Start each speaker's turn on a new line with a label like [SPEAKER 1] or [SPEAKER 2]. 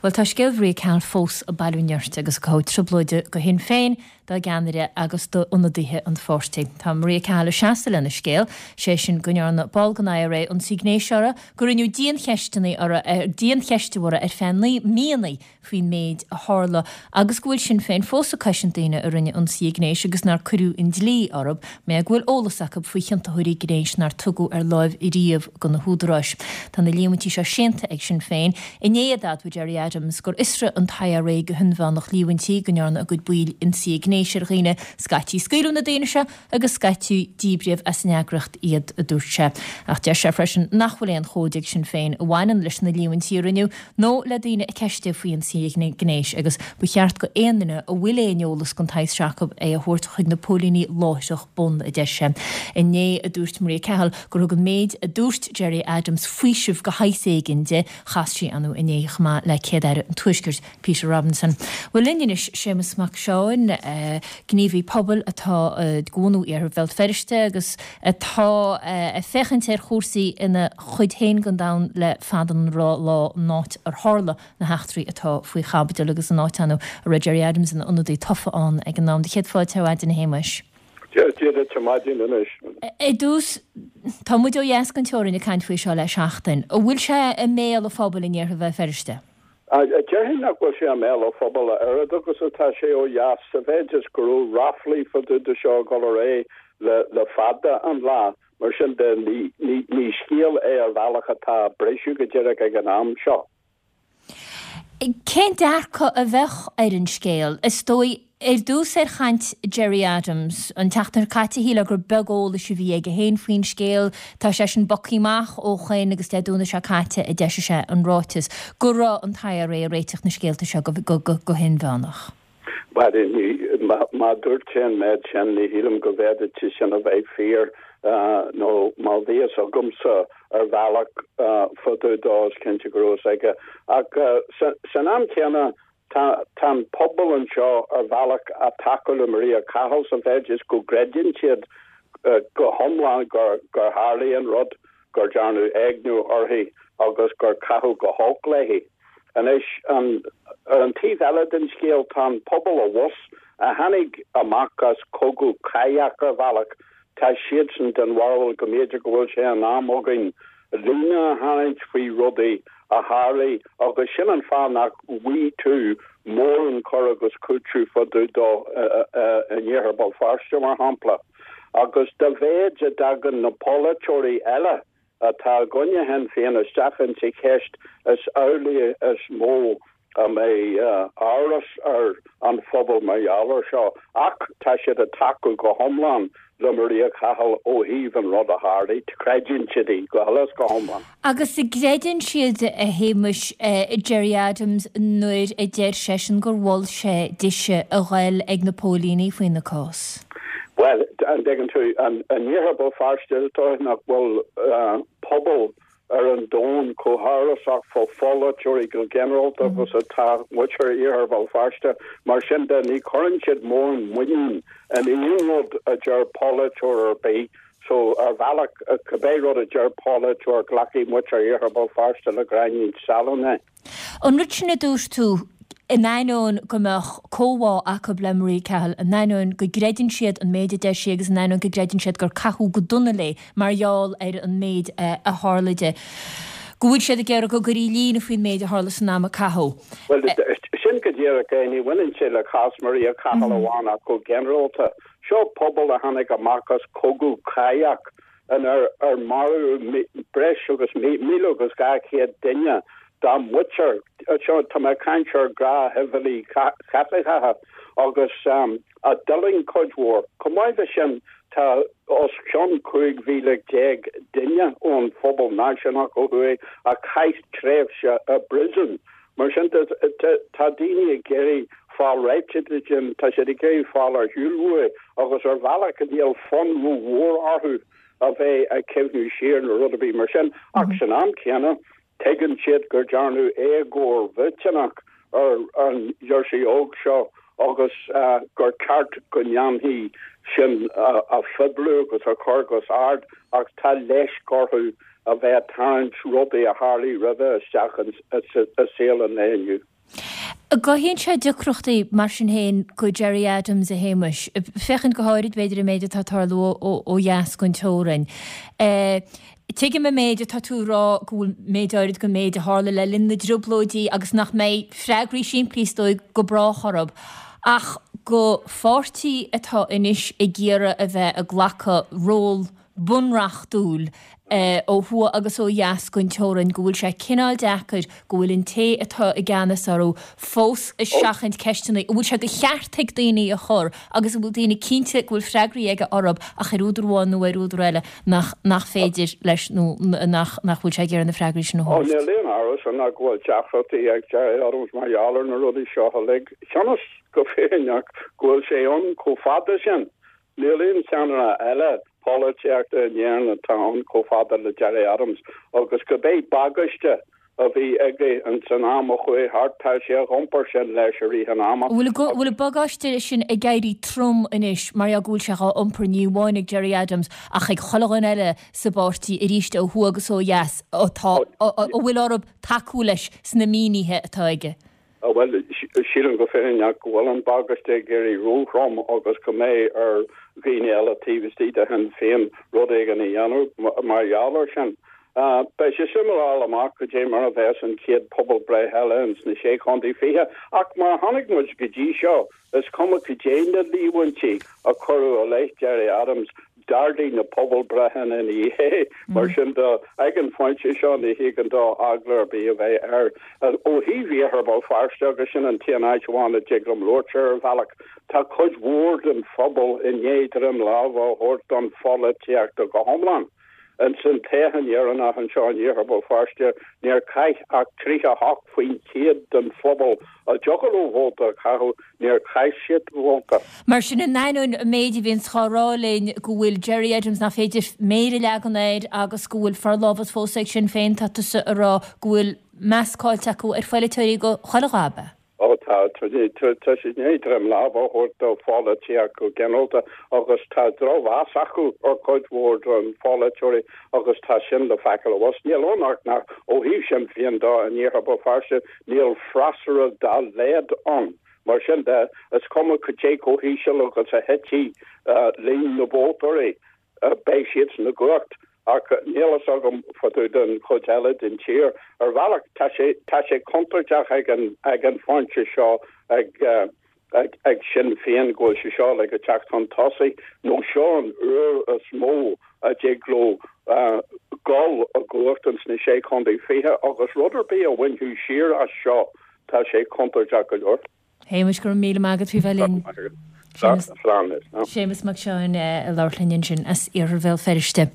[SPEAKER 1] Bhuel, tá scéal Mharia Cahill fós ag bailiú nirt agus ag cothú trioblóide do Shinn Féin, dá gceannaire agus d'ionadaithe an pháirtí. Tá Maria Cahill ag seasamh lena scéal, sé sin go ndearna ball den IRA ionsaí gnéis uirthi, gur rinneadh diancheisteanna uirthi, diancheistiú uirthi ar feadh míonna faoin méid a tharla agus go bhfuil Sinn Féin fós ag cosaint daoine a rinne ionsaithe gnéis agus nár cuireadh an dlí orthu, mar go bhfuil eolas acu faoi chiontathóirí gnéis nár tugadh ar láimh riamh do na húdaráis. Tá na líomhaintí seo séanta ag Sinn Féin. Inné a d'admhaigh Gerry Adams gur fhiosraigh an t-IRA go hinmheánach líomhaintí go ndearna a gcuid baill ionsaithe gnéis ar dhaoine. Scaití scaoileadh na daoine seo agus scaití díbríodh as an eagraíocht iad, a dúirt sé. Ach deir sé freisin nach bhfuil aon chomhaid ag Sinn Féin a bhaineann leis na líomhaintí a rinneadh nó le daoine a ceistíodh faoi ionsaithe gnéis agus ba cheart go aon duine a bhfuil aon eolas den tsaghas seo acu é a thabhairt chuig na póilíní láithreach bonn, a deir sé. Inné a dúirt Maria Cahill gur thug an méid a dúirt Gerry Adams faoiseamh de shaghas éigin di. Chas sí anú inné chomh maith le Céad-Aire an Tuaiscirt, Peter Robinson. Bhuel linn anois Séamus Mac Seáin, gníomhaí pobail atá de bhunadh Iarthar Bhéal Feirste agus atá ag féachaint ar chúrsaí ina chuid féin den domhan le fada an lá, an áit ar tharla na heachtraí atá faoi chaibidil agus an áit ann a raibh Gerry Adams ina ionadaí tofa ann ag an am. Do chéad fáilte ar maidin a Shéamuis.
[SPEAKER 2] Dia duit ar maidin anois.
[SPEAKER 1] Ar dtús, tá muid ó dheas den teorainn ag caint faoi seo le seachtain. An bhfuil sé i mbéal an phobail in iarthar Bhéal Feirste?
[SPEAKER 2] Déarfainn nach bhfuil sé i mbéal an phobail a oiread agus atá sé ó dheas, sa mhéid is go raibh ráflaí fá dtaobh de seo ag dul ar aghaidh le fada an lá. Mar sin de, ní scéal é ar bhealach atá ag briseadh go díreach ag an am seo.
[SPEAKER 1] Cén dearcadh a bheadh ar an scéal? Is dóigh, ar dtús ar chaint Gerry Adams an tseachtain seo caite, shílfeá gur beag eolais a bhí aige féin faoin scéal. Tá seisean bogtha amach ó shoin agus Dé Domhnaigh seo caite a d'eisigh sé an ráiteas go raibh an t-IRA ag réiteach na scéalta seo go hinmheánach.
[SPEAKER 2] Bhuel, má dúirt sé an méid sin, ní shílim go bhféadfadh sé sin a bheith fíor, nó má bhí fhios agamsa ar bhealach fá dtaobh dó, is cinnte go raibh fhios aige. Ach san am céanna, tá an pobal anseo ar bhealach ag tacú le Maria Cahill sa mhéid is go gcreideann siad go hiomlán gur tharlaigh an rud, gur dearnadh éigniú uirthi agus gur caitheadh go holc léi. Anois, ar an taobh eile den scéal, tá an pobal abhus, a tháinig amach as cogadh cathach ar bhealach, tá siadsan den bharúil go mb'fhéidir go bhfuil sé in am againn líne a tharraingt faoi rudaí a tharlaigh agus sin an fáth nach bhfaighidh tú mórán cur agus cúiteamh fá dtaobh dó in iarthar Bhéal Feirste, mar shampla. Agus dá mhéid a dtagann na polaiteoirí eile atá i gcoinne Shinn Féin isteach insa cheist, is amhlaidh is mó a mbeidh amhras ar an phobal mar gheall air seo. Ach tá siad ag tacú go hiomlán le Maria Cahill ó thaobh an rud a tharlaigh. Creideann siad í go huile is go hiomlán.
[SPEAKER 1] Agus an gcreideann siad, a Shéamuis, Gerry Adams nuair a deir seisean gur mhol sé dise a ghoil ag na póilíní faoina cás?
[SPEAKER 2] Bhuel, an dtuigeann tú, in iarthar Bhéal Feirste, is dóigh nach bhfuil pobal ar an domhan chomh hamhrasach fá pholaiteoirí go ginearálta agus atá muintir iarthar Bhéal Feirste. Mar sin de, ní chuireann siad mórán muinín in aon rud a deir polaiteoir ar bith. So, ar bhealach, cibé rud a deir polaiteoir, glacfaidh muintir iarthar Bhéal Feirste le gráinnín salainn é.
[SPEAKER 1] An rud sin a dúirt tú, in ainneoin go mbeadh comhbhá acu le Maria Cahill, in ainneoin go gcreideann siad an méid a deir sí agus in ainneoin go gcreideann siad gur caitheadh go dona léi mar gheall ar an méid a tharla di, go bhfuil siad ag iarraidh go gcuirfí líne faoin méid a tharla san am a caitheadh.
[SPEAKER 2] Bhuel, sin go díreach é. Ní bhaineann sé le cás Maria Cahill amháin ach go ginearálta. Seo pobal a tháinig amach as cogadh cathach inar ar maraíodh breis agus 1,200 duine dá muintir, seo, tá mé ag caint ar ghnáthshibhialaigh Chaitliceacha, agus a d'fhulaing cuid mhór. Chomh maith leis sin, tá os cionn 15,000 duine ón phobal náisiúnach ó thuaidh a chaith tréimhse i bpríosún. Mar sin de, tá daoine ag iarraidh fáil réitithe de sin, tá siad ag iarraidh fáil ar shiúl uaidh agus ar bhealach níl fonn rómhór orthu a bheith ag cuimhniú siar nó rud ar bith mar sin. Ach san am céanna, tuigeann siad gur dearnadh éagóir mhillteanach ar an ghirseach óg seo agus gur ceart go ndéanfaí sin a phoibliú agus a chur os ard ach tá leisc orthu a bheith ag tarraingt rudaí a tharlaigh roimhe isteach i saol an lae inniu.
[SPEAKER 1] An gcothaíonn sé deacrachtaí, mar sin féin, go Gerry Adams, a Shéamais, féachaint go háirid, b'fhéidir, an méid atá ag tarlú ó dheas den teorainn. Tuigim an méid atá tú a rá, go bhfuil méid áirid den méid a tharla le linn na dTrioblóidí agus nach mbeidh freagraí simplí, is dóigh, go brách orthu, ach go pháirtí atá anois ag iarraidh a bheith ag glacadh ról bunreachtúil ó thuaidh agus ó dheas den teorainn, go bhfuil sé cineál deacair, go bhfuil an té atá i gceannas orthu fós ag seachaint ceisteanna a bhfuil sé de cheart ag daoine a chur agus a bhfuil daoine cinnte go bhfuil freagraí aige orthu ach ar údar amháin nó ar údar eile nach nach féidir leis nó nach nach bhfuil sé ag iarraidh na freagraí sin a
[SPEAKER 2] thabhairt. Níl aon amhras ann ach go bhfuil deacrachtaí ag Gerry Adams mar gheall ar na rudaí seo uilig. Cionn is go fírinneach go bhfuil sé ann chomh fada sin Níl aon cheannaire eile polaitíochta in Éirinn atá ann chomh fada le Gerry Adams agus cibé bagáiste a bhí aige ins an am a chuaigh thart, tá sé á iompar sin leis i rith an ama.
[SPEAKER 1] Bhfuil an bagáiste sin ag éirí trom anois mar gheall go bhfuil sé dhá iompar ní amháin ag Gerry Adams ach ag chuile dhuine eile sa bpáirtí arís ó thuaidh agus ó dheas atá, a bhfuil orthu tacú leis sna mínithe atá aige?
[SPEAKER 2] Bhuel, sílim go fírinneach go bhfuil an bagáiste ag éirí róthrom agus go mbeidh ar dhaoine eile taobh istigh de Shinn Féin rud éigin a dhéanamh mar gheall air sin. Beidh sé suimiúil a fháil amach cad é mar a bheas an chéad pobalbhreith eile ins na Sé Chontae 20 ach mar a chonaic muid go dtí seo, Is cuma cad é na líomhaintí a cuireadh i leith Gerry Adams, d'ardaigh na pobalbhreitheanna ina dhiaidh. Mar sin de, ag an phointe seo ní thigeann dó eagla ar bith a bheith air. Ó thaobh Iarthar Bhéal Feirste, agus sin an t-aon áit amháin a dtig liom labhairt ar bhealach, tá cuid mhór den phobal i ndiaidh droim láimhe a thabhairt don pholaitíocht go hiomlán. Ins an toghchán dheireanach anseo in Iarthar Bhéal Feirste, níor chaith ach 38% den phobal a dtiocfadh leo vóta a chaitheamh, níor chaith siad vóta.
[SPEAKER 1] Mar sin, in ainneoin an méid a bhíonns á rá linn go bhfuil Gerry Adams nach féidir méar a leagan air agus go bhfuil forlámhas fós ag Sinn Féin, tá tusa ag rá go bhfuil meas caillte acu ar pholaiteoirí go chuile dhath, ab ea?
[SPEAKER 2] Ó tá, tá siad i ndiaidh droim láimhe a thabhairt do pholaitíocht go ginearálta agus tá drochmheas acu ar chuid mhór den pholaiteoirí agus tá sin le feiceáil abhus. Níl ann ach nach, ó thaobh Sinn Féin de in Iarthar Bhéal Feirste, níl freasúra dá laghad ann. Mar sin de, is cuma cad é chomh híseal agus a thitfidh líon na vótóirí, beidh siadsan i gcumhacht. Ach níl fhios agam fá dtaobh den chuid eile den tír. Ar bhealach, tá sé, tá sé contúirteach ag an, ag an phointe seo ag, ag, ag Sinn Féin go bhfuil sé seo uilig ag teacht chun tosaigh, nó seo an uair is mó a dtig leo dul i gcumhacht ins na Sé Chontae 20 agus rud ar bith a bhainfeadh siar as seo, tá sé contúirteach go leor.
[SPEAKER 1] Shéamais, go raibh míle maith agat faoi bheith linn. Séamus Mac Seáin ag labhairt linn ansin as Iarthar Bhéal Feirste.